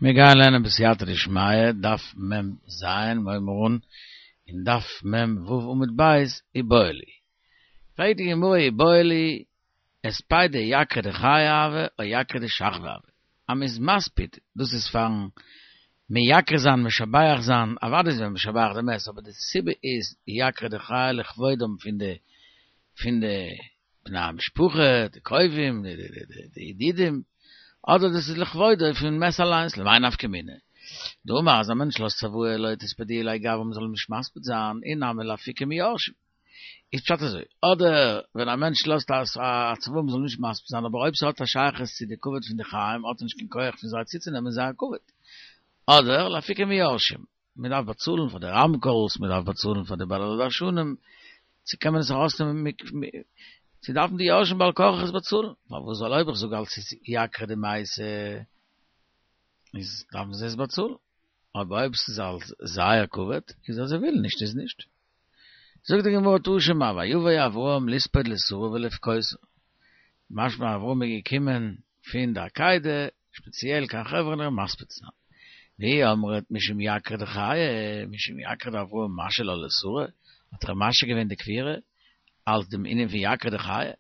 מיר גייען לערנען בסייעתא דשמיא, דף מ ז, מיר הייבן אן אין דף מ ו עמוד ב', איבעיא להו. פרעגט די גמרא איבעיא להו, הספידא יקרא דחיי הוי או יקרא דשכבי הוי? אז מ'איז מספיד, דאס איז פארן מייקר זיין משבח זיין, אוודאי איז מען משבח די מת, אבער די סיבה איז יקרא דחיי לכבודם פון די פון די בני המשפחה, די קרובים, די ידידים, אדער דאס איז לכבודו פון מת אליינס, למאי נפקא מינה? דאמר אז א מענטש לאזט צוואה לא תספדוהו להאי גברא מ'זאל אים נישט מספיד זיין, אי נמי לאפוקי מיורשים. איז פשט אזוי, אדער ווען א מענטש לאזט א צוואה מ'זאל נישט מספיד זיין, אבער אויב ס'האט א שייכות צו די כבוד פון די חיים האט ער נישט קיין כח פון זיי צוצונעמען זייער כבוד. אדער לאפוקי מיורשים. מען דארף באצאלן פאר די רמקול'ס, מען דארף באצאלן פאר די בעלי דרשנים, צו קען מען עס ארויסנעמען, צו דארפן די יורשים בעל כרחך עס באצאלן, פארוואס ווייל אויב איך זאג אלס איז יקרא דמייתא איז דארפן זיי עס באצאלן, אבער אויב ס'איז אלס זייער כבוד, איז אז זיי ווילן נישט איז נישט. זאגט די גמרא תא שמע ויבא אברהם לספוד לשרה ולבכותה, משמע אברהם איז געקומען פון די עקידה שפעציעל קיין חברון איר מספיד צו זיין. ואי אמרת משום יקרא דחיי, משום יקרא דאברהם משהי לה לשרה, האט ער משהה געווען די קבירה אלס דעם ענין פון יקרא דחיי?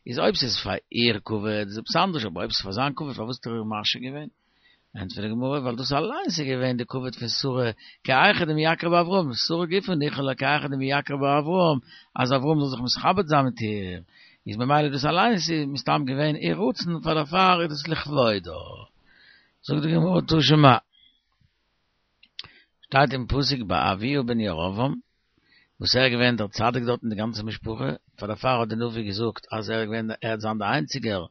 איז אויב ס'איז פאר איר כבוד איז עפעס אנדערש, אבער אויב ס'איז פאר זיין כבוד פארוואס האט ער איר משהה געווען? ענטפערט די גמרא, ווייל דאס אליינס איז געווען די כבוד פון שרה, כי היכי דמייקרא בה אברהם, שרה גופא ניחא לה כי היכי דמייקרא בה אברהם, אז אברהם זאל זיך מתכבד זיין מיט איר, איז ממילא דאס אליינס איז מסתם געווען איר רצון, פאר דערפאר איז דאס לכבודה. זאגט די גמרא תא שמע, שטייט אין פסוק ביי אביה בן ירבעם, וואס ער איז געווען דער צדיק דארט אין די גאנצע משפחה, פאר דערפאר האט די נביא געזאגט אז ער איז געווען ער וועט זיין דער איינציגער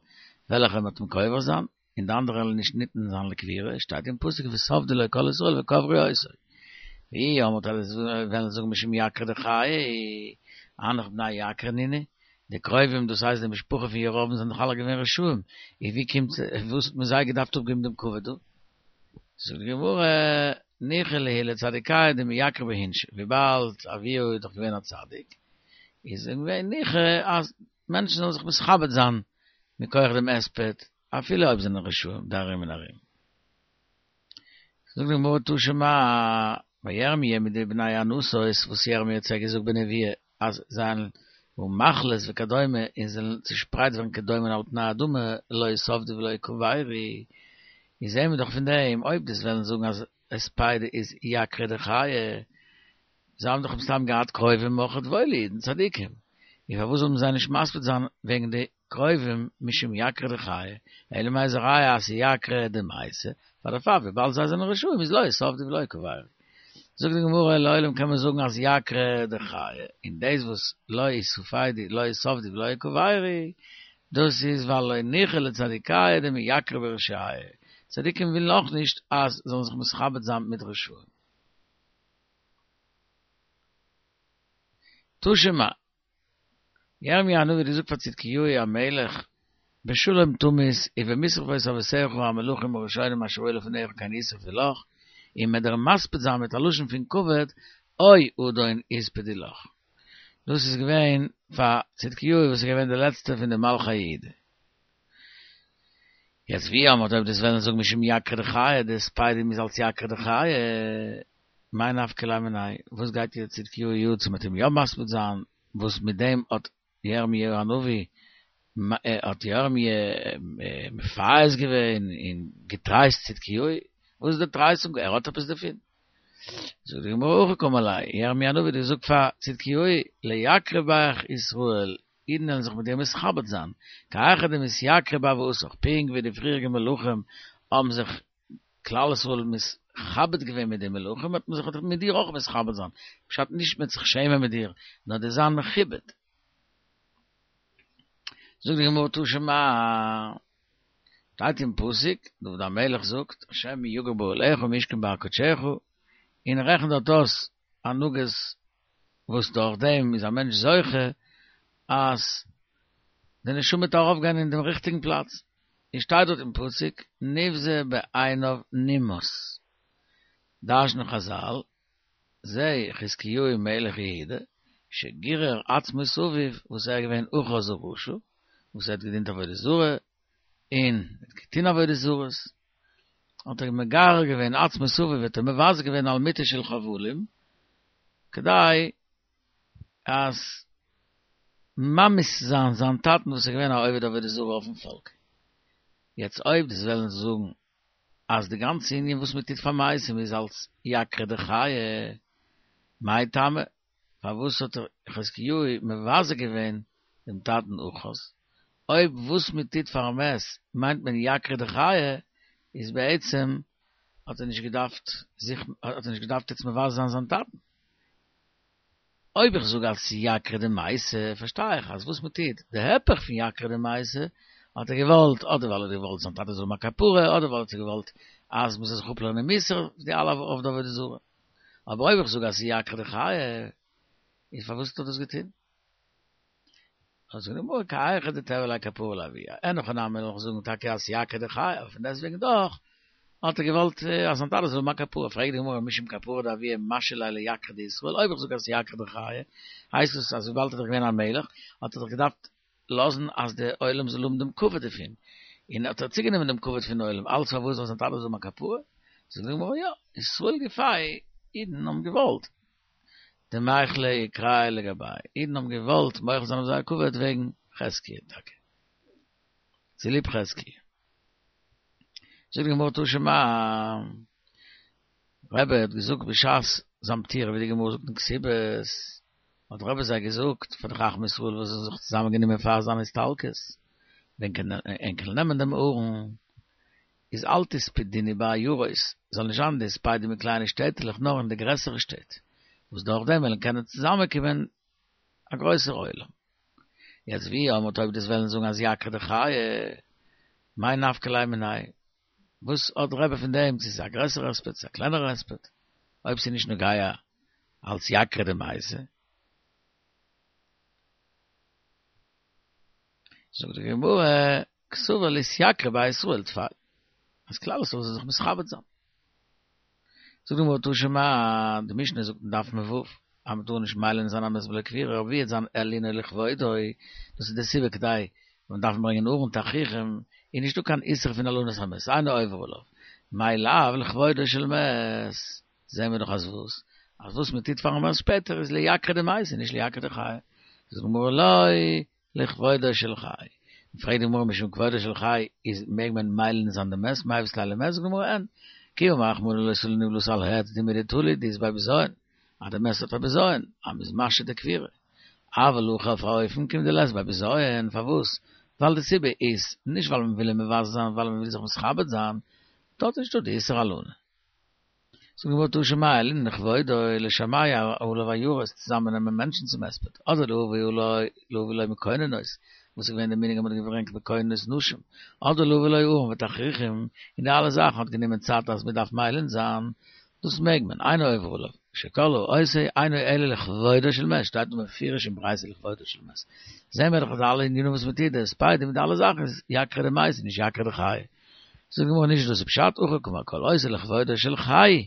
וועלכער מ'וועט אים קובר זיין, און די אנדערע וועלן נישט ניתן זיין לקבירה, שטייט אין פסוק וספדו לו כל ישראל וקברו אותו. ואי אמרת אז וועלן זאגן משום יקרא דחיי, הנך בני יקרא נינהו, די קרובים דאס הייסט די משפחה פון ירבעם זענען דאך אלע געווען רשעים, איז ווי קומט וואס האט מען זיי געדארפט אפגעבן דעם כבוד דא? זאגט די גמרא, ניחא להו לצדיקיא דמייקרי בהו אינשי, וויבאלד אביה איז דאך געווען א צדיק, איז געווען ניחא אז מענטשן זאלן זיך מתכבד זיין מכח דעם הספד, אפילו אויב זענען רשעים די ארום און ארום. זאגט די גמרא תא שמע, ביי ירמי' מיט די בני ענתות וואס ירמי' האט זיי געזאגט בנביאה אז זיי וועלן מחלות וכדומה און זאלן צושפרייט ווערן כדומן על פני האדמה לא יספדו ולא יקברו, איז זעהן מיר דאך פון דעם אויב דו'סט וועלן זאגן אז הספידא איז יקרא דחיי, זיי האבן דאך מסתם געהאט קרובים אויכעט וואוילע אידן צדיקים, און פארוואס זאלן זיי נישט מספיד זיין וועגן די קרובים משום יקרא דחיי, אלא מאי איז א ראיה אז ס'איז יקרא דמייתא, פאר דערפאר וויבאלד זיי זענען רשעים איז לא יספדו ולא יקברו. זאגט די גמרא לעולם קען מען זאגן אז יקרא דחיי, און דאס וואס לא יספדו לא יספדו ולא יקברו, דאס איז ווייל לא ניחא לצדיקיא דמייקרי ברשיעי, צדיקים ווילן אויך נישט אז זאלן זיך מתכבד זיין מיט רשעים. תא שמע, ירמי' הנביא האט געזאגט פאר צדקיהו המלך, בשלום תמות ובמשרפות אבותיך המלכים הראשונים אשר היו לפניך כן ישרפו לך, און מ'עט דיר מספיד זיין מיט א לשון פון כבוד, או אדון יספדו לך. דאס איז געווען פאר צדקיהו וואס איז געווען די לעצטע פון די מלכי יהודה. יעצט ואי אמרת אויב דו'סט וועלן זאגן משום יקרא דחיי, די הספדים איז אלס יקרא דחיי, מאי נפקא ליה מיניה, וואס גייט איר צדקיהו יא צו מ'עט אים יא מספיד זיין, וואס מיט דעם האט ירמי' הנביא האט ירמי' מפייס געווען און געטרייסט צדקיהו, וואס איז די טרייסונג, ער האט עפעס דערפון? זאגט די גמרא הכי קאמר ליה, ירמי' הנביא האט געזאגט פאר צדקיהו, לייקרי בך ישראל, אידן וועלן זיך מיט דיר מתכבד זיין, כי היכי דמתייקרי בהוותך, פונקט ווי די פריעריגע מלכים האבן זיך כלל ישראל מתכבד געווען מיט די מלכים, וועט מען זיך מיט דיר אויך מתכבד זיין, פשט נישט מ'וועט זיך שעמען מיט דיר, נאר דו'סט זיין מכובד. זאגט די גמרא תא שמע, שטייט אין פסוק, דוד המלך זאגט, השם מי יגור באהליך ומי ישכון בהר קדשך, און ער רעכנט דארט אויס הנהגות וואס דורך דעם איז א מענטש זוכה אז די נשמה וועט ארויפגיין אין דעם ריכטיגן פלאץ, און שטייט דארט אין פסוק נבזה בעיניו נמאס, דרש'נען חזל, זה חזקיהו מלך יהודה, שגירר עצמות אביו, וואס ער איז געווען אחז הרשע, וואס ער האט געדינט עבודה זרה, און האט געטון עבודה זרות. האט ער מגרר געווען עצמות אביו האט ער מבזה געווען על מיטה של חבלים, כדי אז ממאס זיין זיין טאטן וואס איז געווען א עובד עבודה זרה אויפן פאלק. יעצט אויב דו'סט וועלן זאגן אז די גאנצע ענין וואס מען טוט פאר מתים איז אלס יקרא דחיי, מאי טעמא פארוואס האט חזקיהו מבזה געווען דעם טאטן אחז? אויב וואס מען טוט פארן מת מיינט מען יקרא דחיי, איז בעצם האט ער נישט געדארפט זיך האט ער נישט געדארפט יעצט מבזה זיין זיין טאטן. אויב איך זאג אלס יקרא דמייתא פארשטיי איך אז וואס מען טוט די היפך פון יקרא דמייתא האט ער געוואלט אדער ווייל ער האט געוואלט זיין טאטע זאל האבן א כפרה אדער ווייל ער האט געוואלט אז מען זאל זיך אפלערנען מוסר די אלע עובדי עבודה זרה. אבער אויב איך זאג אז ס'איז יקרא דחיי, איז פארוואס האט ער דאס געטון? זאגט די גמרא כי היכי דתיהוי ליה כפרה לאבוה, אין הכי נמי וועל איך זאגן טאקע אז ס'איז יקרא דחיי, אבער פון דעסטוועגן דאך האט ער געוואלט אז זיין טאטע זאל האבן א כפרה, פרעגט די גמרא משום כפרה דאבוה משהי ליה ליקרא דישראל, אויב איך זאג אז ס'איז יקרא דחיי, הייסט עס אז וויבאלד ער איז דאך געווען א מלך האט ער דאך געדארפט לאזן אז די עולם זאל האבן דעם כבוד דערפון, און האט ער צוגענומען דעם כבוד פון עולם, אלץ פארוואס זאל זיין טאטע זאל האבן א כפרה? זאגט די גמרא יא, ישראל גופייהו, אידן האבן געוואלט, דמיחלי יקרייהו לגבייהו, אידן האבן געוואלט מוחל זיין אויף זייער כבוד וועגן חזקיה טאקע, צוליב חזקיה. זאגט די גמרא תא שמע, רבי האט געזאגט בשעת זיין פטירה ווי די גמרא זאגט אין כתובות, האט רבי זיי געזאגט פאר די חכמי ישראל וואס האבן זיך צוזאמען גענומען פאר זיין הסתלקות, ווען ענק וועלן נעמען דעם ארון, איז אל תספדוהו בעיירות, זאל נישט זיין די הספדים אין קליינע שטעטעלעך נאר אין די גרעסערע שטעט, וואס דורך דעם וועלן קענען צוזאמען קומען א גרויסער עולם. יעצט ואי אמרת אויב דו'סט וועלן זאגן אז יקרא דחיי, מאי נפקא ליה מיניה? וואס האט רבי פון דעם צו ס'איז א גרעסערע הספד צו א קלענערע הספד, אויב ס'איז נישט נוגע אלס יקרא דמייתא? זאגט די גמרא, קסבר לאתייקרא ביה ישראל טפי, אז כלל ישראל זאל זיך מתכבד זיין. זאגט די גמרא תא שמע, די משנה זאגט אין דף מ"ו, אז מ'טאר נישט מלין זיין א מת בלא קבורה, אבער ווי וועט זיין הלינו לכבודו, דאס איז די סיבה כדי מען דארף ברענגען ארון תכריכים, איז נישטא קיין איסור פון הלנת המת, אינו עובר עליו, מאי לאו לכבודו של מת, זעהן מיר דאך אז וואס? אז וואס מען טוט פארן מת שפעטער איז ליקרא דמייתא נישט ליקרא דחיי, זאגט די גמרא לא לכבודו של חי, פרעגט די גמרא משום כבודו של חי איז מעג מען מלין זיין די מת, מיבעית ליה למת, זאגט די גמרא אין, כי אמר רחמנא לא תלין נבלתו על העץ דומיא דתלי דאית ביה בזיון, אז די מת האט א בזיון, אז מ'איז משהה די קבורה. אבל הכא אויף א אופן כיון דלית ביה בזיון, פארוואס? ווייל די סיבה איז, נישט ווייל מ'וויל אים מבזה זיין, ווייל מ'וויל זיך מתכבד זיין, דארט איז נישטא די איסור הלנה. זאגט די גמרא תא שמע הלינן לכבודו לשמע עליו עיירות צוזאמען נעמען מענטשן צום הספד, אדער להביא לו מקוננות, וואס איז געווען די מנהג אז מ'האט געברענגט מקוננות נשים, אדער להביא לו ארון ותכריכים, און די אלע זאכן האט גענומען צייט אז מ'דארף מלין זיין, דאס מעג מען, אינו עובר עליו, שכל העושה אינו אלא לכבודו של מת, שטייט דא מפורש אין ברייתא לכבודו של מת. זעהן מיר דאך אז אלע ענינים וואס מ'טוט, די הספדים מיט די אלע זאכן איז יקרא דמייתא נישט יקרא דחיי. זאגט די גמרא נישט דאס איז פשט, הכי קאמר כל העושה לכבודו של חי,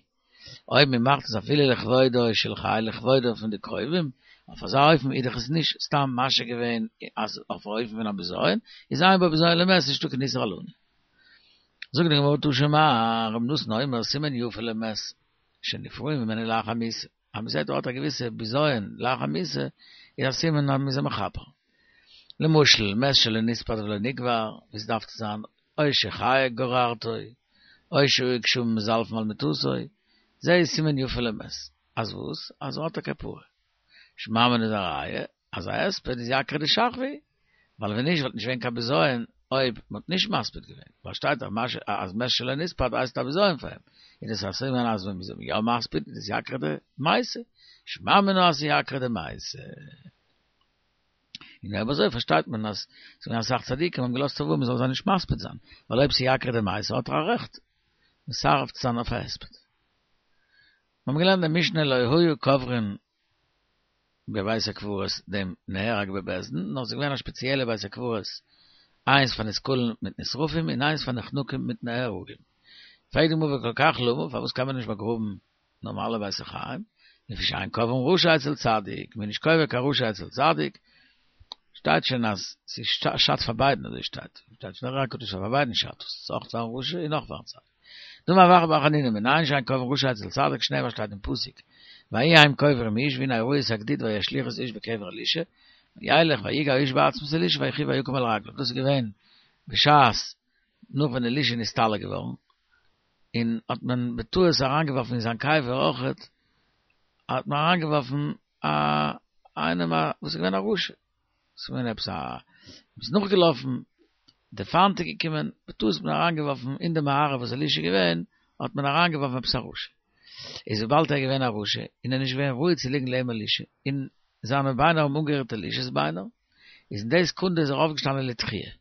אויב מען מאכט עס אפילו לכבודו של חי לכבודו פון די קרובים, אויף אזא אופן איז דאך עס נישט סתם משהה געווען אז אויף א אופן פון א בזיון, איז אין בו בזיון למת נישטא קיין איסור הלנה. זאגט די גמרא תא שמע, רבי נתן אומר סימן יפה למת שנפרעין ממנו לאחר מיתה, אז מען זעט ער האט א געוויסע בזיון לאחר מיתה איז א סימן אז מען איז אים מכפר. למשל מת שלא נספד ולא נקבר, ווי ס'דארף צו זיין, או שחיה גוררתו, או שהיו גשמים מזלפין על מיטתו, זה איז סימן יפה למת, אז וואס? אז ער האט א כפרה. שמע מינה איז א ראיה אז א הספד איז יקרא דשכבי, ווייל ווען נישט וואלט נישט געווען קיין בזיון אויב מען האט נישט מספיד געווען, ווייל שטייט דאך אז מת שלא נספד הייסט א בזיון פאר אים, איז דאס א סימן אז ווען מ'איז אים יא מספיד איז עס יקרא דמייתא, שמע מינה אז ס'איז יקרא דמייתא. און אויב אזוי פארשטייט מען אז ס'איז געווען אסאך צדיקים האבן געלאזט צוואה מ'זאל זיי נישט מספיד זיין, ווייל אויב ס'איז יקרא דמייתא האט ער א רעכט מסרב צו זיין אויף א הספד. מיר האבן געלערנט די משנה לא היו קוברין בבית הקברות דעם נהרג בבית דין, נאר ס'איז געווען א שפעציעלע בית הקברות, איינס פאר נסקלין מיט נשרפים און איינס פאר נחנקים מיט נהרגים. פרעגט די גמרא וכל כך למה, פארוואס קען מען נישט באגראבן נארמאלע בית החיים, לפי שאין קוברין רשע אצל צדיק, מ'איז נישט קובר קיין רשע אצל צדיק, שטייט שוין אז ס'שאדט פאר ביידן אזוי שטייט, שטייט שוין אין אר"י הקדוש אז פאר ביידן שאדט עס, אויך פארן רשע און אויך פארן צדיק. דאמר רב אחא בר חנינא מנין שאין קוברין רשע אצל צדיק שנאמר שטייט אין פסוק ויהי הם קוברים איש והנה ראו את הגדיד וישליכו את האיש בקבר אלישע וילך ויגע האיש בעצמות אלישע ויחי ויקם על רגליו דאס איז געווען בשעת נאך ווען אלישע איז נסתלק געווארן און האט מען בטעות אריינגעווארפן אין זיין קבר אויכעט האט מען אריינגעווארפן א איינעם א וואס איז געווען א רשע. ס'איז געווען עפעס א, מ'איז נאכגעלאפן, די פיינט איז געקומען, בטעות האט מען אריינגעווארפן אין די מערה וואס אלישע איז געווען, האט מען אריינגעווארפן עפעס א רשע. איז וויבאלד ער איז געווען א רשע, און ער איז נישט געווען ראוי צו ליגן לעבן אלישע, און זיינע ביינער האבן אנגערירט אלישע'ס ביינער, איז אין די סעקונדע איז ער אויפגעשטאנען לתחייה.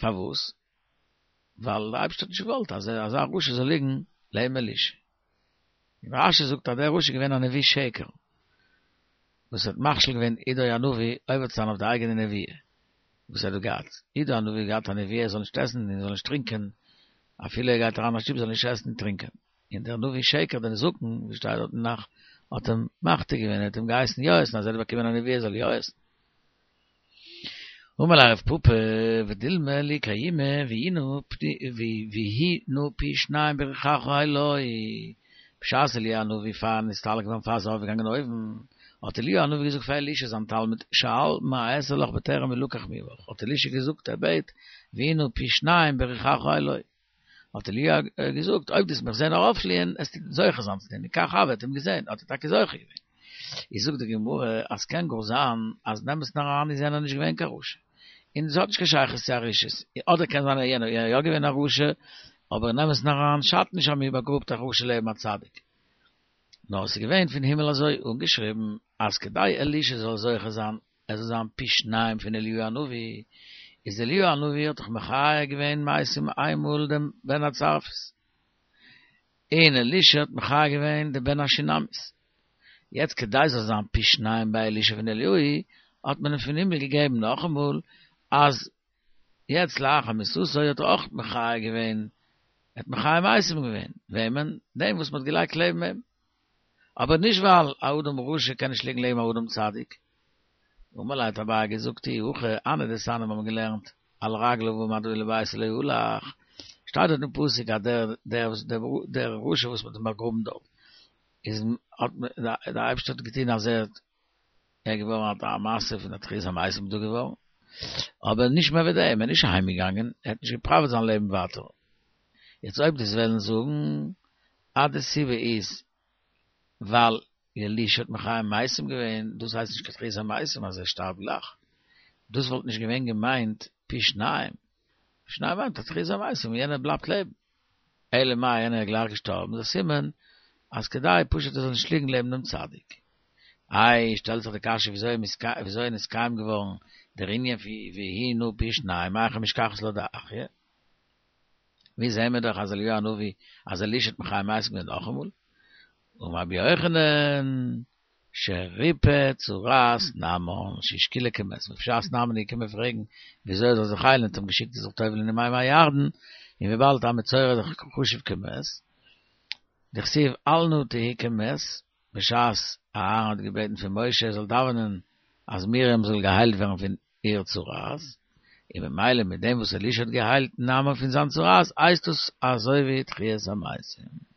פארוואס? ווייל דער אייבערשטער האט נישט געוואלט אז אזא רשע זאל ליגן לעבן אלישע. און רש"י זאגט אז דער רשע איז געווען א נביא שקר, וואס האט מכשיל געווען עדו הנביא עובר צו זיין אויף די אייגענע נביאה וואס ער האט געהאט. עדו הנביא האט געהאט א נביאה ער זאל נישט עסן און ער זאל נישט טרינקען, אפילו ער גייט אריין אין א שטוב זאל ער נישט עסן און טרינקען. און דער נביא שקר דער זקן, ווי שטייט דארט אין נ"ך, האט אים מחטיא געווען, ער האט אים געהייסן יא עסן, אז ער האט באקומען א נביאה ער זאל יא עסן. אמר ליה רב פפא ודילמא ליקיימי ויהי נא פי שניים ברוחך עילואי, בשעת אליהו הנביא פאר נסתלק געווארן פאר ער איז ארויפגעגאנגען אויבן, האט אליהו הנביא געזאגט פאר אלישע זיין תלמיד שאל מה אעשה לך בטרם אלקח מעמך, האט אלישע געזאגט ער בעט ויהי נא פי שניים ברוחך עילואי, האט אליהו געזאגט אויב דו וועסט מיך זען ארויפפליען עסטו זוכה זיין צו דעם, און כך הוה, האט אים געזען האט ער טאקע זוכה געווען. איז זאגט די גמרא אז קען גאר זיין אז אין אמת'ן אריין איז יענער נישט געווען קיין רשע, און עס האט נישט קיין שייכות צו א רשעות, אדער קען זיין אז יענער איז יא געווען א רשע, אבער אין אמת'ן אריין שאדט נישט אז מען באגראבט א רשע לעבן א צדיק. נאר עס איז געווען פון הימל אזוי אנגעשריבן אז כדי אלישע זאל זוכה זיין ער זאל זיין פי שניים פון אליהו הנביא, איז אליהו הנביא האט דאך מחיה געווען מתים איינמאל דעם בן הצרפית, און אלישע האט מחיה געווען דעם בן השונמית, יעצט כדי זאל זיין פי שניים ביי אלישע פון אליהו, האט מען אים פון הימל געגעבן נאכאמאל אז יעצט לאחר מיתתו האט ער אויך מחיה געווען, ער האט מחיה מתים געווען, וועמען? דעם וואס מען האט געלייגט לעבן אים. אבער נישט ווייל א אדם רשע קען נישט ליגן לעבן א אדם צדיק. אמר ליה האט אביי געזאגט אי הכי הני דתניא מיר האבן געלערנט על רגליו עמד ולביתו לא הלך, שטייט דארט אין פסוק אז דער דער דער רשע וואס מ'האט אים באגראבן דארט איז האט דער אייבערשטער האט געטון אז ער האט ער געווארן א מעשה פון א תחיית המתים דא געווארן, אבער נישט מער ווי דעם, ער איז נישט אהיים געגאנגען, ער האט נישט געפראוועט זיין לעבן ווייטער. יעצט אויב דו'סט וועלן זאגן אז די סיבה איז ווייל אלישע האט מחיה מתים געווען, דאס הייסט נישט קיין תחיית המתים אז ער שטארבט גלייך, דאס וואלט נישט געווען געמיינט פי שניים, פי שניים מיינט א תחיית המתים און יענער בלייבט לעבן, אלא מאי יענער איז גלייך געשטארבן איז א סימן אז כדי פשוט ער זאל נישט ליגן לעבן דעם צדיק. איי שטעלט זיך די קשיא וויאזוי איז נתקיים געווארן דער ענין פון ויהי נא פי שניים מהיכא משכחת לה דאחיה? ווי זעהן מיר דאך אז אליהו הנביא אז אלישע האט מחיה מתים געווען נאכאמאל? אמר רבי יוחנן שריפא צרעת נעמן שהשקילא כמת בשעת נעמן איז געקומען פרעגן וויאזוי ער זאל זיך היילן האט אים געשיקט ער זאל זיך טובל'ן אין מים הירדן און וויבאלד א מצורע איז דאך חשוב כמת דכתיב אל נא תהי כמת בשעת אהרן האט געבעטן פון משה ער זאל דאווענען אז מרים זאל געהיילט ווערן פון איר צרעת, און ממילא מיט דעם וואס אלישע האט געהיילט נעמן פון זיין צרעת הייסט עס אזוי ווי תחיית המתים.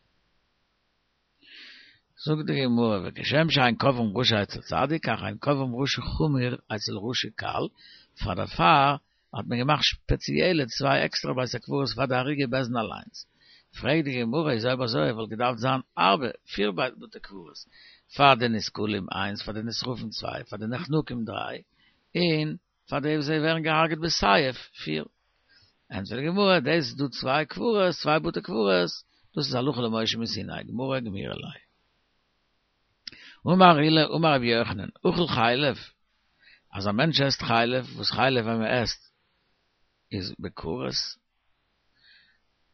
זאגט די גמרא וכשם שאין קוברין רשע אצל צדיק כך אין קוברין רשע חמור אצל רשע קל, פאר דערפאר האט מען געמאכט שפעציעלע צוויי עקסטערע בית הקברות פאר די הרוגי בית דין אליינס. פרעגט די גמרא איז אויב אזוי וואלט געדארפט זיין ארבע, פיר בתי קברות, פאר די נסקלים איינס, פאר די נשרפים צוויי, פאר די נחנקים דריי, און פאר די וואס זיי ווערן געהארגעט בסייף פיר. ענטפערט די גמרא, דאס איז דא צוויי קברות, צוויי בתי קברות, דאס איז הלכה למשה מסיני, גמרא גמירי ליה. אמר עולא אמר רבי יוחנן, אכל חלב, אז א מענטש עסט חלב, וואס חלב ווען מען עסט איז בכרת,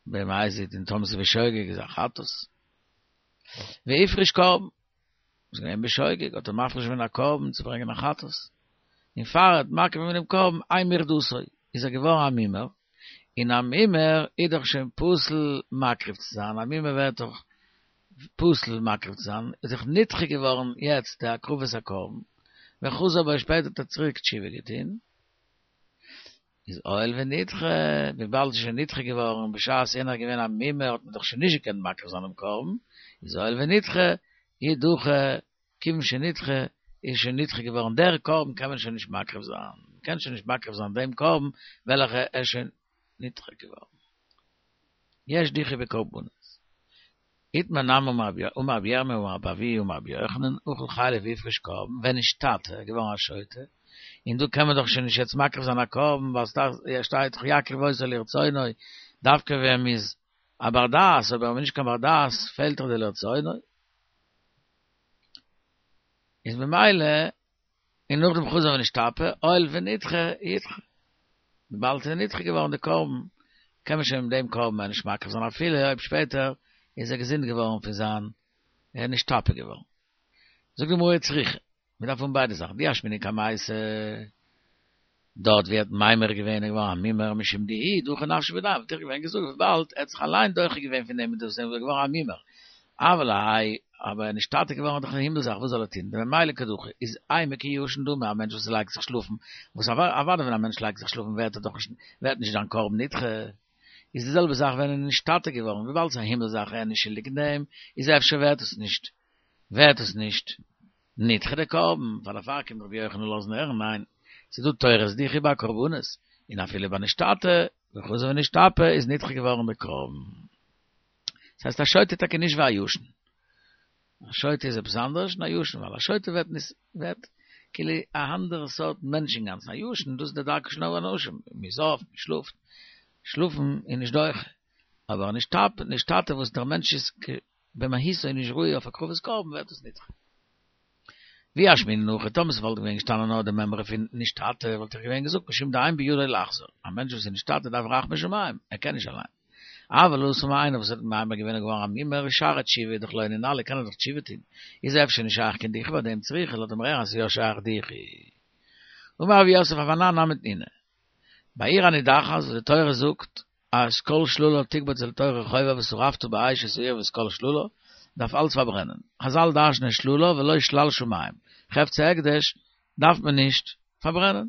במזיד און טאמער ס'איז בשוגג איז א חטאת, והפריש קרבן, איז געווען בשוגג, האט ער מפריש געווען א קרבן צו ברענגען א חטאת, און פאר ער האט מקריב געווען דעם קרבן אין מרדותו, איז ער געווארן א מומר, און א מומר איז דאך שוין פסול מקריב צו זיין, א מומר ווערט דאך פסול מקריב צו זיין, איז דאך נדחה געווארן יעצט די הקרבת הקרבן, וחזר בו שפעטער האט ער צוריק תשובה געטון. איז הואיל ונדחה, וויבאלד ס'איז שוין נדחה געווארן בשעת יענער איז געווען א מומר האט מען דאך שוין נישט געקענט מקריב זיין דעם קרבן, איז הואיל ונדחה, ידחה, כיוון שנדחה, איז שוין נדחה געווארן דער קרבן קען מען שוין נישט מקריב זיין, מ'קען שוין נישט מקריב זיין דעם קרבן וועלכע איז שוין נדחה געווארן. יש דיחוי בקרבנות. איתמר נמי אמר רבי ירמי' אמר רבי אבהו אמר רבי יוחנן, אכל חלב והפריש קרבן, ונשתטה, געווארן א שוטה, און דא קען מען דאך שוין נישט יעצט מקריב זיין א קרבן ווייל ס'שטייט דאך יקריב אותו לרצונו, דווקא ווען מ'איז א בר דעת, אבער ווען מ'איז נישט קיין בר דעת פעלט דאך די לרצונו. איז ממילא און נאכדעם חזר ונשתפה, הואיל ונדחה, ידחה. וויבאלד ס'איז נדחה געווארן די קרבן, קען מען שוין מיט דעם קרבן מער נישט מקריב זיין אפילו אויב שפעטער איז ער געזונט געווארן פון זיין ער איז נשתפה געווארן. זאגט די גמרא צריכא, מען דארף האבן ביידע זאכן, דאי אשמעינן קמייתא, דארט ווי ער האט מימר געווען איז געווארן א מומר משום דאיהו דחי נפשיה בידיה, וואלט איך געווען געזאגט וויבאלד ער האט זיך אליין דוחה געווען פון דעם איז דאס איז געווארן א מומר, אבל האי אבער ער נשתטה געווארן איז דאך א הימל זאך וואס זאל ער טון, דממילא קא דחי איז אימא כישן דמי א מענטש וואס לייגט זיך שלאפן, וואס אוודאי ווען א מענטש לייגט זיך שלאפן ווערט ער דאך נישט ווערט נישט זיין קרבן נדחה, איז די זעלבע זאך ווען ער איז נשתטה געווארן וויבאלד ס'איז א הימל זאך ער איז נישט שולדיג אין דעם איז אפשר ווערט עס נישט ווערט עס נישט נדחה די קרבן, פאר דערפאר קומט רבי יוחנן לאזן הערן, ניין, ס'איז דא תורת דיחוי ביי קרבנות, און אפילו ביי נשתטה, וחזר ונשתפה איז נדחה געווארן די קרבן. דאס הייסט א שוטה איז טאקע נישט ווי א ישן. א שוטה איז עפעס אנדערש און א ישן, ווייל א שוטה ווערט נישט, ווערט כאילו א אנדערע סארט מענטש אינגאנצן, א ישן דאס איז די דרכו של אנשים, מ'איז אויף, מ'שלאפט, שלאפן איז נישט דוחה, אבער נשתטה וואס דער מענטש איז במהותו נישט ראוי אויף הקרבת קרבן ווערט עס נדחה. ואי אשמעינן הכא טאמער ס'וואלט געווען געשטאנען נאר די מימרא פון נשתטה וואלט איך געווען געזאגט משום דאין בידו לחזור, א מענטש וואס איז נשתטה דארף רחמי שמים, ער קען נישט אליין. אבל התם איינער וואס האט מימר געווען און געווארן א מומר שערי תשובה איז דאך לא נינהו קען ער דאך תשובה טון, איז אפשר נישט שייך קיין דיחוי ביי דעם צריכא לאזט מען הערן אז ס'איז יא שייך דיחוי. אמר רב יוסף אף אנן נמי תנינא. בעיר הנידחת וואס די תורה זאגט אז כל שללה תקבץ אל תוך רחובה ושרפת באש את העיר ואת כל שללה, דארף אלץ פארברענען. חזל דרש'נען שללה ולא שלל שמים, חפצי הקדש דארף מען נישט פארברענען.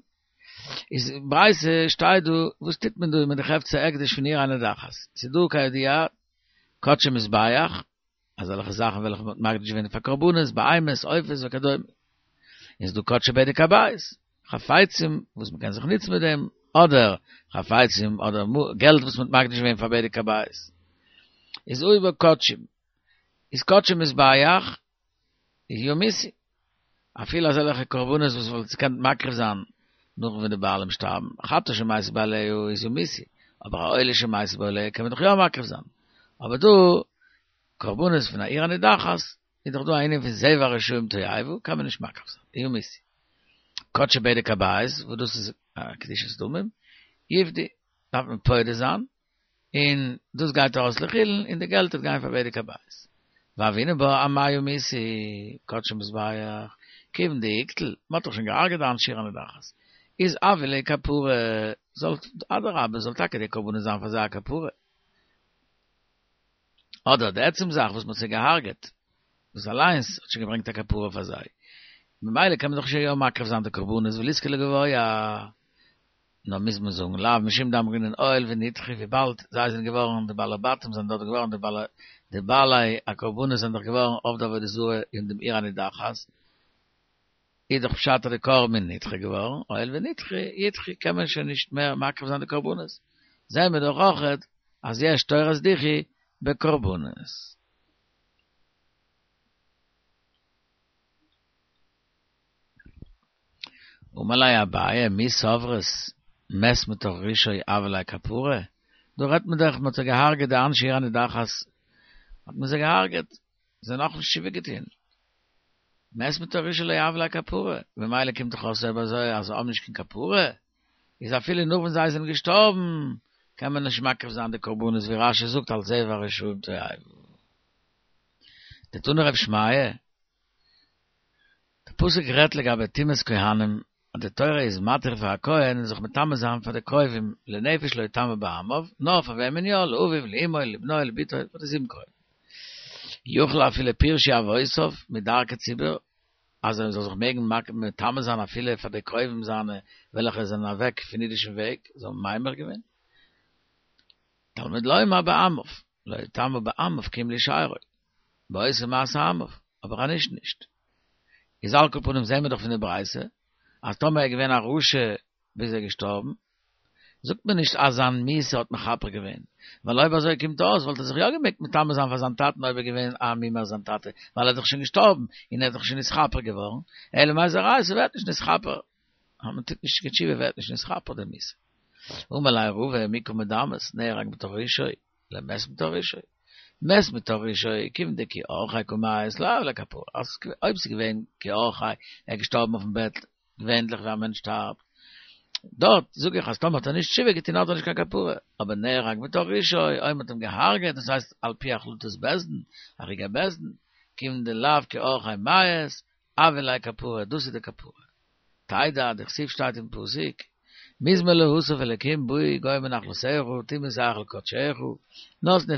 איז אין ברייתא שטייט דא וואס טוט מען דא מיט די חפצי הקדש פון עיר הנידחת? ס'איז דא כידוע קדשי מזבח, אזעלכע זאכן וועלכע מ'האט מקדיש געווען פאר קרבנות, בהמות, עופות וכדומה. און ס'איז דא קדשי בדק הבית, חפצים וואס מ'קען זיך נוצן מיט דעם, אדער חפצים אדער געלט וואס מ'האט מקדיש געווען פאר בדק הבית. איז אויב קדשים, איז קדשי מזבח, איז יומיתו. אפילו אזעלכע קרבנות וואס מ'וואלט געקענט מקריב זיין נאך ווען די בעלים שטארבן, חטאת שמתו בעליה איז יומיתו, אבער א עולה שמתו בעליה קען מען דאך יא מקריב זיין. אבער דא, קרבנות פון א עיר הנידחת, איז דאך דא א ענין פון זבח רשעים תועבה, קען מען נישט מקריב זיין, יומיתו. קדשי בדק הבית, וואס דאס איז א קדושת דמים, יפדו, דארף מען פודה זיין, און דאס גייט ארויס לחולין און די געלט וועט גיין פאר בדק הבית. והוינן בה אמאי יומיתו, קדשי מזבח, כיוון דאיקטול, מען האט דאך שוין געהארגעט די אנשי עיר הנידחת, איז הוו להו כפרה, זאל אדרבה זאל טאקע די קרבנות זיין פאר זיי א כפרה. אדער די עצם זאך וואס מען האט זיי געהארגעט, דאס אליינס האט שוין געברענגט א כפרה פאר זיי, ממילא קען מען דאך שוין יא מקריב זיין די קרבנות וליזכי לגבוה. נאר מוז מען זאגן לאו משום דאמרינן הואיל ונדחו וויבאלד זיי זענען געווארן די בעלי בתים זענען דארט געווארן די בעלי די בעלי הקרבנות זענען דאך געווארן עובדי עבודה זרה אין דעם עיר הנידחת איז דאך פשט אז די קרבן איז נדחה געווארן הואיל ונדחו ידחו קען מען שוין נישט מער מקריב זיין די קרבנות זעהן מיר דאך אויכעט אז יש תורת דיחוי בקרבנות. אמר ליה אביי, מי סברת מת מתוך רשעו הויא ליה כפרה? דא רעדט מען דאך מ'האט זיי געהארגעט די אנשי עיר הנידחת האט מען זיי געהארגעט, זיי האבן נאכנישט תשובה געטון, מת מתוך רשעו לא הויא ליה כפרה, ממילא קומט דאך אויס אויב אזוי אז זיי האבן נישט קיין כפרה, איז אפילו נאך ווען זיי זענען געשטארבן קען מען נישט מקריב זיין די קרבנות ווי רש"י זאגט אלס זבח רשעים תועבה. דתני רב שמעיה. די פסוק רעדט לגבי טומאת כהנים, אז די תורה איז מתיר פאר א כהן זיך מטמא זיין פאר די קרובים, לנפש לא יטמא בעמיו, נאר פאר וועמען יא, לאביו, לאמו, לבנו, לבתו, פאר די זיבן קרובים. יכול אפילו פירשו אבותיו מדרכי ציבור. אז ער זאל זיך מעגן מטמא זיין אפילו פאר די קרובים זיינע וועלכע זענען אוועק פון אידישן וועג, זיי האבן ממיר געווען. תלמוד לומר בעמיו, לא יטמא בעמיו כי אם לשארו, בעושה מעשה עמיו, אבער אנישט נישט. איז על כל פנים זעהן מיר דאך פון די ברייתא אז טאמער ער איז געווען א רשע ביז ער איז געשטארבן, זאגט מען נישט אז זיין מיתה האט מכפר געווען, ווייל אויב אזוי קומט אויס וואלט ער זיך יא געמעגט מטמא זיין פאר זיין טאטן אויב ער איז געווען א מומר זיין טאטע, ווייל ער איז דאך שוין געשטארבן און ער איז דאך שוין נתכפר געווארן, אלא מאי ס'איז א ראיה ס'ווערט נישט נתכפר, אז מען טוט נישט קיין תשובה ווערט נישט נתכפר די מיתה. אמר ליה רבא מי קא מדמית נהרג מתוך רשעו למת מתוך רשעו, מת מתוך רשעו כיוון דכי אורחיה קא מיית לא הויא ליה כפרה, אז אויב ס'איז געווען כי אורחיה ער איז געשטארבן אויפן בעט געווענליך ווי א מענטש שטארבט, דארט זאג איך אז טאמער האט ער נישט תשובה געטון האט ער נישט קיין כפרה, אבער נהרג מתוך רשעו, אויב מ'האט אים געהארגעט, דאס הייסט על פי החלטת בית דין, הריגת בית דין, כיוון דלאו כי אורחיה מיית, הויא ליה כפרה, דאס איז די כפרה. תדע, דכתיב שטייט אין פסוק, מזמור לאסף אלקים באו גוים בנחלתך, תמעו היכל קדשך, נתנו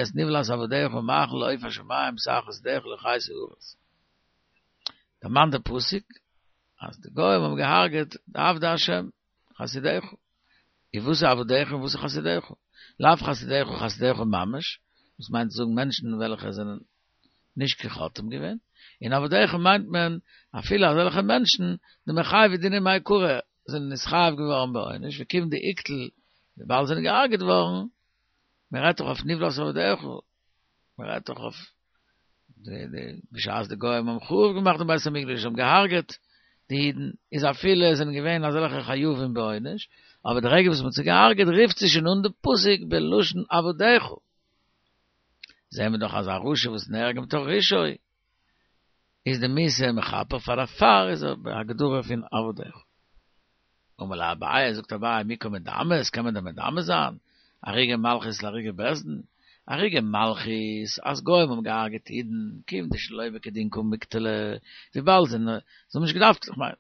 את נבלת עבדיך מאכל לעוף השמים בשר חסידיך לחיית הארץ. דערמאנט דער פסוק אז די גוים האבן געהארגעט די עבדי השם, חסידיך. און וואס איז עבדיך און וואס איז חסידיך? לאו חסידיך חסידיך ממש, דאס מיינט צו זאגן מענטשן וועלכע זענען נישט קיין חוטאים געווען, און עבדיך מיינט מען אפילו אזעלכע מענטשן דמיחייבי דינא מעיקרא זענען נתחייב געווארן בעונש וכיוון דאיקטול וויבאלד זענען געהארגעט געווארן, מען רעדט דאך אויף נבלת עבדיך, מען רעדט דאך אויף די די בשעת די גוים האבן חרוב געמאכט דעם בית המקדש האבן געהארגעט די אידן, איז אפילו עס זענען געווען אזעלכע חייבים בעונש, אבער די רגע וואס מען האט זיי געהארגעט רופט זיך שוין אן די פסוק בלשון עבדיך. זעהן מיר דאך אז א רשע וואס נהרג מתוך רשעו, איז די מיתה מכפר פאר דערפאר איז ער בהגדרה פון עבדיך. אמר ליה אביי, זאגט אביי, מי קא מדמית, קען מען דען מדמה זיין הרוגי מלכות להרוגי בית דין? הרוגי מלכות, אז גוים האבן געהארגעט אידן, כיוון דשלא כדין קא מיקטלי, וויבאלד זיי האבן נישט געדארפט, איך מיין,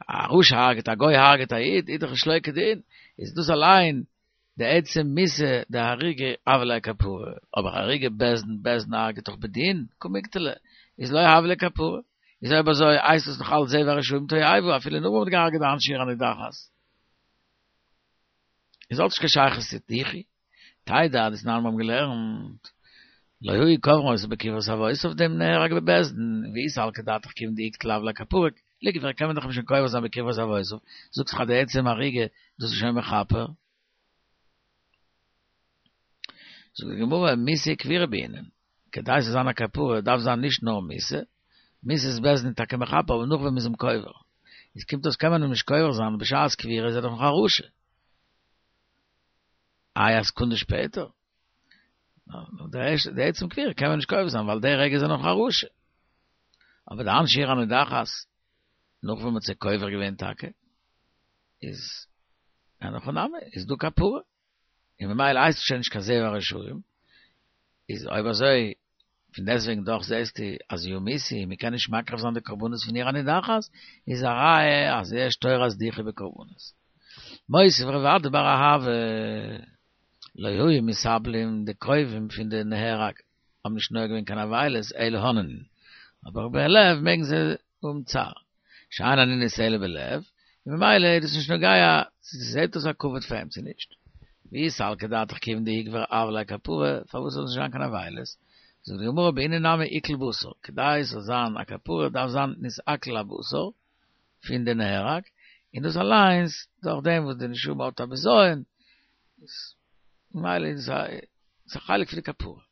א רשע הארגעט א גוי הארגעט א איד, איז דאך שלא כדין, איז דאס אליין די עצם מיתה דהריגה הויא ליה כפרה, אבער הרוגי בית דין, בית דין הרג'ט דאך בדין, קא מיקטלי, איז לא הויא ליה כפרה. איז אויב אזוי הייסט עס נאך אלץ זה והרשעים תועבה אפילו נאך מ'האט געהארגעט די אנשי עיר הנידחת. איז האט נישט קיין שייכות צו דיחוי. תדע דתנן מיר האבן געלערנט לא היו קוברין אותו בקברות אבותיו דעם נהרג בבית דין, ואי סלקא דעתך כיוון דאיקטול הויא ליה כפרה, ליקבר קען מען דאך אים שוין קובר זיין בקברות אבותיו, זאגסט דאך אז די עצם הריגה דאס איז שוין מכפר. זאגט די גמרא מיתה וקבירה בעינן, כדי ס'זאל זיין א כפרה דארף זיין נישט נאר מיתה, מיתת בית דין איז טאקע מכפר אבער נאך ווען מ'איז אים קובר, איז קומט אויס קען מען אים נישט קובר זיין בשעת קבירה איז ער דאך נאך א רשע. איי א סעקונדע שפעטער? די עצם קבירה קען מען נישט קובר זיין ווייל די רגע איז ער נאך א רשע. אבער די אנשי עיר הנידחת, נאך ווען מ'האט זיי קובר געווען טאקע, איז אין הכי נמי, איז דא כפרה. און ממילא הייסט עס שוין נישט קיין זה והרשעים, איז אויב אזוי, פון דעסטוועגן דאך זעסטו אז יומתו, מ'קען נישט מקריב זיין די קרבנות פון עיר הנידחת, איז א ראיה אז יש תורת דיחוי בקרבנות. מותיב רב אדא בר אהבה, לא היו מתאבלים די קרובים פון די נהרג האבן נישט נוהג געווען קיין אבילות אלא אוננין, אבער בלב מעגן זיי האבן צער, שאין אנינות אלא בלב, און ממילא איז דאס נישט נוגע צו ס'זעט אויס א כבוד פאר אים צו נישט. ואי סלקא דעתך כיוון דאיקבר הויא ליה כפרה, פארוואס זאל נישט זיין קיין אבילות? זאגט די גמרא בעינן נמי עיקול בשר, כדי ס'זאל זיין א כפרה דארף זיין נתעכל הבשר, פון די נהרג, און דאס אליינס דורך דעם וואס די נשמה האט א בזיון, ממילא איז עס א חלק פון די כפרה.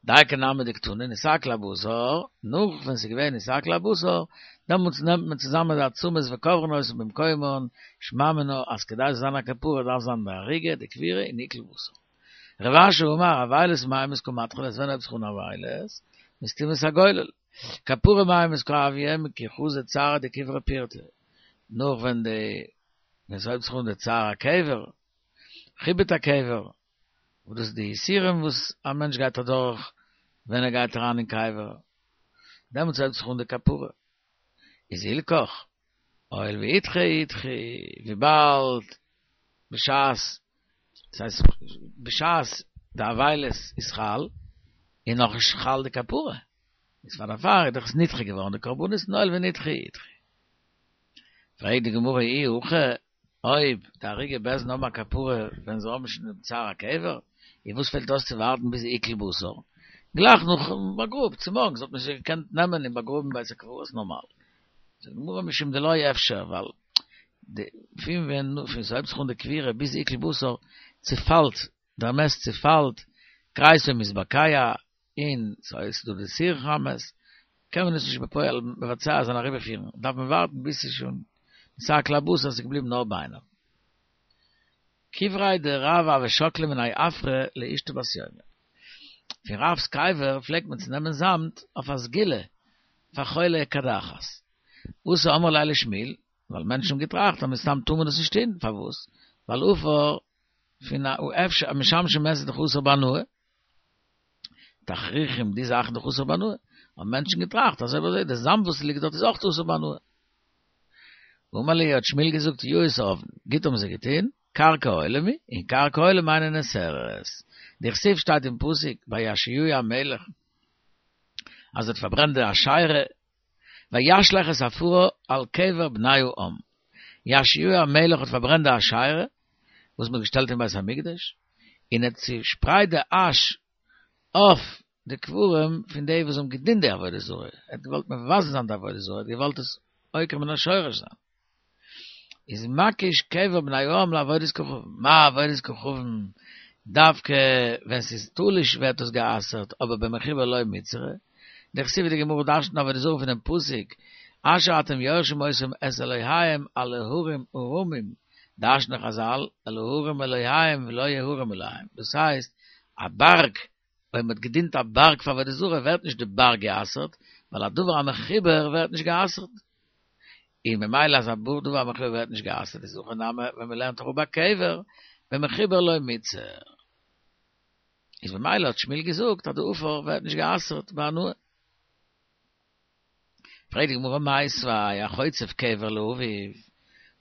דייקא נמי דקתני נתעכל הבשר, נאך ווען ס'איז געווען נתעכל הבשר, דעמאלטס נעמט מען צוזאמען די עצמות וקוברין אותן במקומן, שמע מינה אז כדי ס'זאל זיין א כפרה דארף זיין די הריגה, די קבירה און עיקול בשר. רב אשי אמר אבילות מאימתי קא מתחילא ווען הייבט זיך אן אבילות? מסתימת הגולל. כפרה מאימתי קא הויא מכי חזו צערא דקברא פירתא, נאך ווען די ווען ס'הויבט זיך אן די צער הקבר, חיבוט הקבר, וואס דאס איז די יסורים וואס א מענטש גייט אדורך ווען ער גייט אריין אין קבר, דעמאלטס הייבט זיך אן די כפרה. איז הילכך, הואיל ואידחי אידחי, וויבאלד בשעת, דאס הייסט בשעת די אבילות איז חל, איז נאכנישט חל די כפרה. איז פאר דערפאר איז דאך עס נדחה געווארן די קרבנות און הואיל ונדחה אידחי. פרעגט די גמרא אי הכי, אויב די הרוגי בית דין האבן א כפרה ווען זיי האבן שוין דעם צער הקבר, איז וואס פעלט אויס צו ווארטן ביז עיקול בשר? גלייך נאכן באגראב, צומארגנס וואלט מען שוין געקענט נעמען און באגראבן בית הקברות נארמאל. זאגט די גמרא משום דלא אפשר, ווייל די פון ווען פון ס'הויבט זיך אן די קבירה ביז עיקול בשר צופאלט דער מת צופאלט, כריסו מתבקע, און ס'איז דא די סירחון המת, קען מען עס נישט בפועל מבצע זיין אריבערפירן, דארף מען ווארטן ביז ס'איז שוין נתעכל הבשר ס'איז געבליבן נאר ביינער. קבריה דרב הוו שקלי מיניה עפרא לאשתו בת יומא. פון רב'ס קבר פלעגט מען צו נעמען זאמד אויף א סגולה פאר חולי קדחת. אתו אמרו ליה לשמואל, ווייל מענטשן האבן געטראכט אז מסתם טאר מען דאס נישט טון, פארוואס? ווייל עפר פון א משמשי מת איז דאך אסור בהנאה. תכריכים די זאכן דאך אסור בהנאה, האבן מענטשן געטראכט אז אויב אזוי די זאמד וואס ליגט דארט איז אויך אסור בהנאה. אמר להו האט שמואל געזאגט יאות עבדן, גוט האבן זיי געטון, קרקע עולם היא, און קרקע עולם אינה נאסרת. דכתיב שטייט אין פסוק ביי יאשיהו המלך אז ער האט פארברענט די אשירה וישלך את עפרה על קבר בני העם. יאשיהו המלך האט פארברענט די אשירה וואס מען האט געשטעלט אין בית המקדש, און האט צושפרייט די אש אויף די קברים פון די וואס האבן געדינט די עבודה זרה, ער האט געוואלט מבזה זיין די עבודה זרה, ער האט געוואלט עס עוקר מן השורש זיין. איז מקיש קבר בני העם לעבודת כוכבים, מה עבודת כוכבים, דווקא ווען ס'איז תלוש ווערט דאס גע'אסר'ט, אבער במחובר לא מיתסרא, דכתיב די גמרא דרש'נט עבודה זרה פונעם פסוק אשר אתם יורשים אותם את אלהיהם על ההרים הרמים, דרש'נען חזל אל ההרים אלהיהם ולא ההרים אלהיהם, דאס הייסט א בארג, אויב מ'האט געדינט א בארג פאר עבודה זרה ווערט נישט די בארג גע'אסר'ט, ווייל א דבר המחובר ווערט נישט גע'אסר'ט. און ממילא אז א דבר המחובר ווערט נישט גע'אסר'ט איז הכא נמי ווען מ'לערנט אראפ ביי קבר, במחובר לא מיתסר. איז ממילא האט שמואל געזאגט אז די עפר ווערט נישט גע'אסר'ט בהנאה. פרעגט די גמרא מיתיבי החוצב קבר לאביו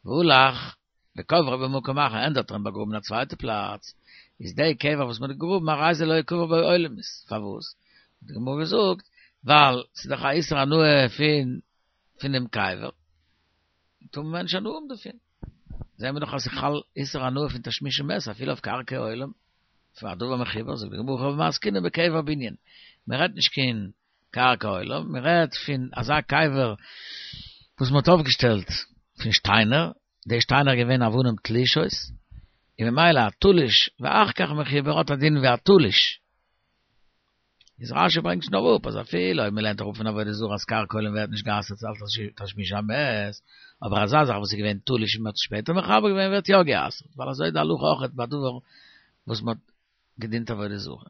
והלך וקברו במקום אחר ענדערש האט ער אים באגראבן אין א צווייטע פלאץ, איז די קבר וואס מען האט געגראבן הרי זה לא יקבר בו עולמית, פארוואס? האט די גמרא געזאגט ווייל ס'איז דאך א איסור הנאה פון פונעם קבר, טאר מען נישט הנאה האבן דערפון. זעהן מיר דאך אז ס'חל איסור הנאה פון תשמישי מת אפילו אויף קרקע עולם, פאר א דבר מחובר, זאגט די גמרא הכא במאי עסקינן בקבר בנין, מען רעדט נישט קיין קרקע עולם, מען רעדט פון אזא קבר וואס מען האט אויפגעשטעלט פון שטיינער, די שטיינער איז געווען אבנים תלושות, און ממילא א תלוש ואחר כך מחובר האט א דין ווי א תלוש. איז רשי ברענגט שוין אראפ אז אפילו אויב מ'לערנט אראפ פון עבודה זרה אז קרקע עולם ווערט נישט גע'אסר'ט אלס תשמיש המת, אבער אזא זאך וואס איז געווען תלוש און מ'האט עס שפעטער מחבר געווען ווערט יא גע'אסר'ט, ווייל אזוי איז די הלכה אויכעט ביי דבר וואס מ'האט געדינט עבודה זרה.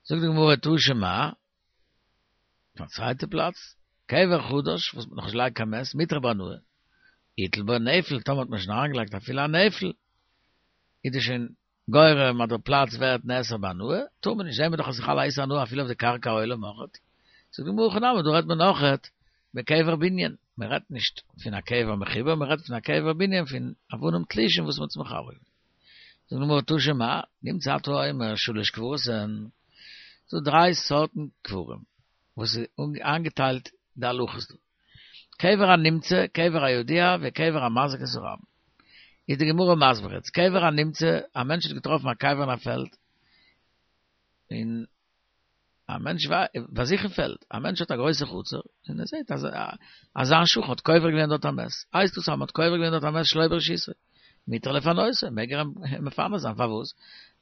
זאגט די גמרא תא שמע, פון א צווייטע פלאץ, קבר חדש וואס מ'האט נאכנישט געלייגט קיין מת, מותר בהנאה, הטיל בו נפל, טאמער האט מען שוין אריינגעלייגט אפילו א נפל, איז דאס שוין גורם אז דער פלאץ ווערט נאסר בהנאה, טאר מען נישט, זעהן מיר דאך אז ס'חל א איסור הנאה אפילו אויף די קרקע העולם אויכעט. זאגט די גמרא הכא נמי, דא רעדט מען אויכעט בקבר בנין, מען רעדט נישט פון א קבר מחובר, מען רעדט פון א קבר בנין פון אבנים תלושים וואס מען האט עס מחבר געווען. זאגט די גמרא תא שמע, נמצא אתה אומר שלש קברות הן, ס'דא דריי סארטן קברים וואס איז איינגעטיילט די הלכות דא. קבר הנמצא, קבר הידוע, וקבר המזיק את הרבים. איז די גמרא מסביר יעצט, קבר הנמצא, א מענטש האט געטראפן א קבר אין א פעלד, און א מענטש ביי זיך אין פעלד, א מענטש האט א גרויסע חצר, און ער זעט אז אז זיין שכן האט קובר געווען דארט א מת, הייסט דאס אז מען האט קובר געווען דארט א מת שלא ברשותו, מותר לפנותו, מעג ער אים מפנה זיין, פארוואס?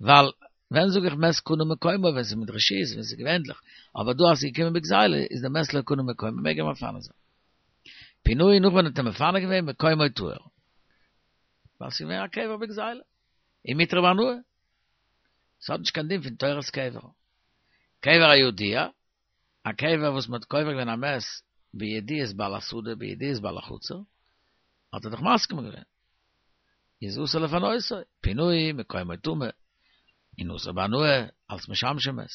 ווייל ווען זאג איך מת קנה מקומו ווען ס'איז מיט רשות ווען ס'איז געווענדליך, אבער דא אז ס'איז געקומען בגזילה איז די מת לא קנה מקומו מעג ער מפנה זיין. פינהו נאך ווען ער האט אים מפנה געווען מקומו טהור. ווייל ס'איז געווען א קבר בגזילה. און מותר בהנאה. ס'האט נישט קיין דין פון תורת קבר. קבר הידוע, א קבר וואס מ'האט קובר געווען א מת בידיעת בעל השדה בידיעת בעל החצר, האט ער דאך מסכים געווען. איז אסור לפנותו, פינהו מקומו טמא, און אסור בהנאה אלס משמשי מת.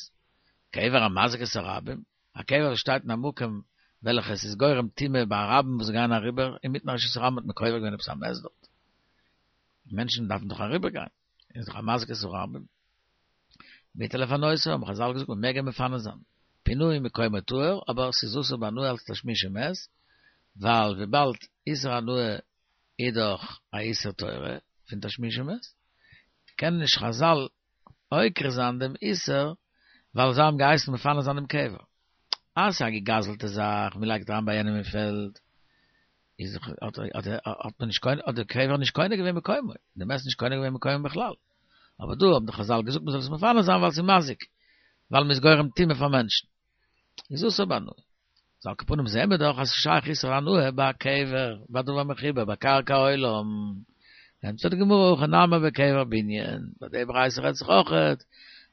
קבר המזיק את הרבים, א קבר וואס שטייט אין א מקום וועלכע עס איז גורם טומאה ביי א רבים וואס גייען אריבער, אינמיטן א רשות הרבים האט מען קובר געווען עפעס א מת דארט. מענטשן דארפן דאך אריבער גיין, איז דאך א מזיק את הרבים. מותר לפנותו, האבן חזל געזאגט מען מעג אים מפנה זיין. פינוי מקומו טהור, אבער ס'איז אסור בהנאה אלס תשמישי מת, ווייל וויבאלד איסור הנאה איז דאך א איסור תורה פון תשמישי מת, קענען נישט חזל עוקר זיין דעם איסור ווייל זיי האבן געהייסן מפנה זיין דעם קבר. אז ס'איז א געגזלטע זאך, מ'לייגט אריין ביי יענעם אין פעלד, איז האט האט מען נישט קונה האט די קבר נישט קונה געווען מקומו, די מת נישט קונה געווען מקומו בכלל. אבער דא האבן די חזל געזאגט מ'זאל עס מפנה זיין ווייל ס'איז מזיק, ווייל מ'איז גורם טומאה פאר מענטשן. איז אסור בהנאה. איז על כל פנים זעהן מיר דאך אז ס'איז שייך איסור הנאה ביי א קבר, ביי דבר מחובר, ביי קרקע עולם. ענטפערט די גמרא הכא נמי בקבר בנין, ביי די ברייתא רעדט זיך אויכעט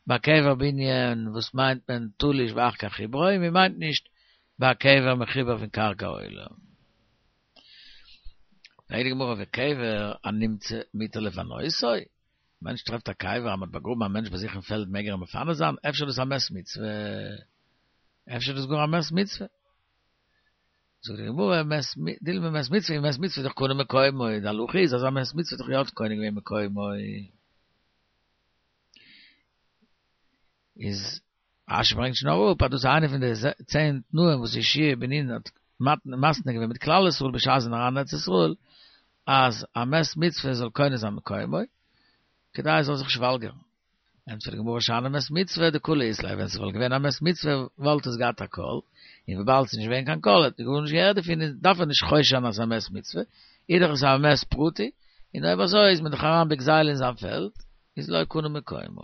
ביי קבר בנין, וואס מיינט מען תלוש ואחר כך חיברו, מען מיינט נישט ביי א קבר מחובר פון קרקע עולם. פרעגט די גמרא וקבר הנמצא מותר לפנותו? מענטש טרעפט א קבר אז מ'האט באגראבן א מענטש ביי זיך אין פעלד מעג ער אים מפנה זיין? אפשר איז דאס א מת מצוה? אפשר איז דאס גאר א מת מצוה? זאגט די גמרא מת דילמא מת מצוה מת מצוה איז דאך קונה מקומו, די הלכה איז אז א מת מצוה איז דאך יא קונה געווען מקומו. איז רשי ברענגט שוין אראפ אז דאס איז איינע פון די צען תנאים וואס יהושע בן נון האט מתנה געווען מיט כלל ישראל בשעת זיי זענען אריין אין ארץ ישראל, אז א מת מצוה זאל קונה זיין מקומו, כדי ער זאל זיך נישט וואלגערן. ענטפערט די גמרא שאני מת מצוה דקלא אית ליה, ווען ס'וואלט געווען א מת מצוה וואלט עס געהאט א קול, און וויבאלד ס'איז נישט געווען קיין קול האט מען גארנישט געהערט דערפון דארף ער נישט חושש זיין אז ס'איז א מת מצוה, איז דאך עס א מת פרטי, און אויב אזוי איז מען דאך אריין בגזילה אין זיין פעלד, איז לא קנה מקומו.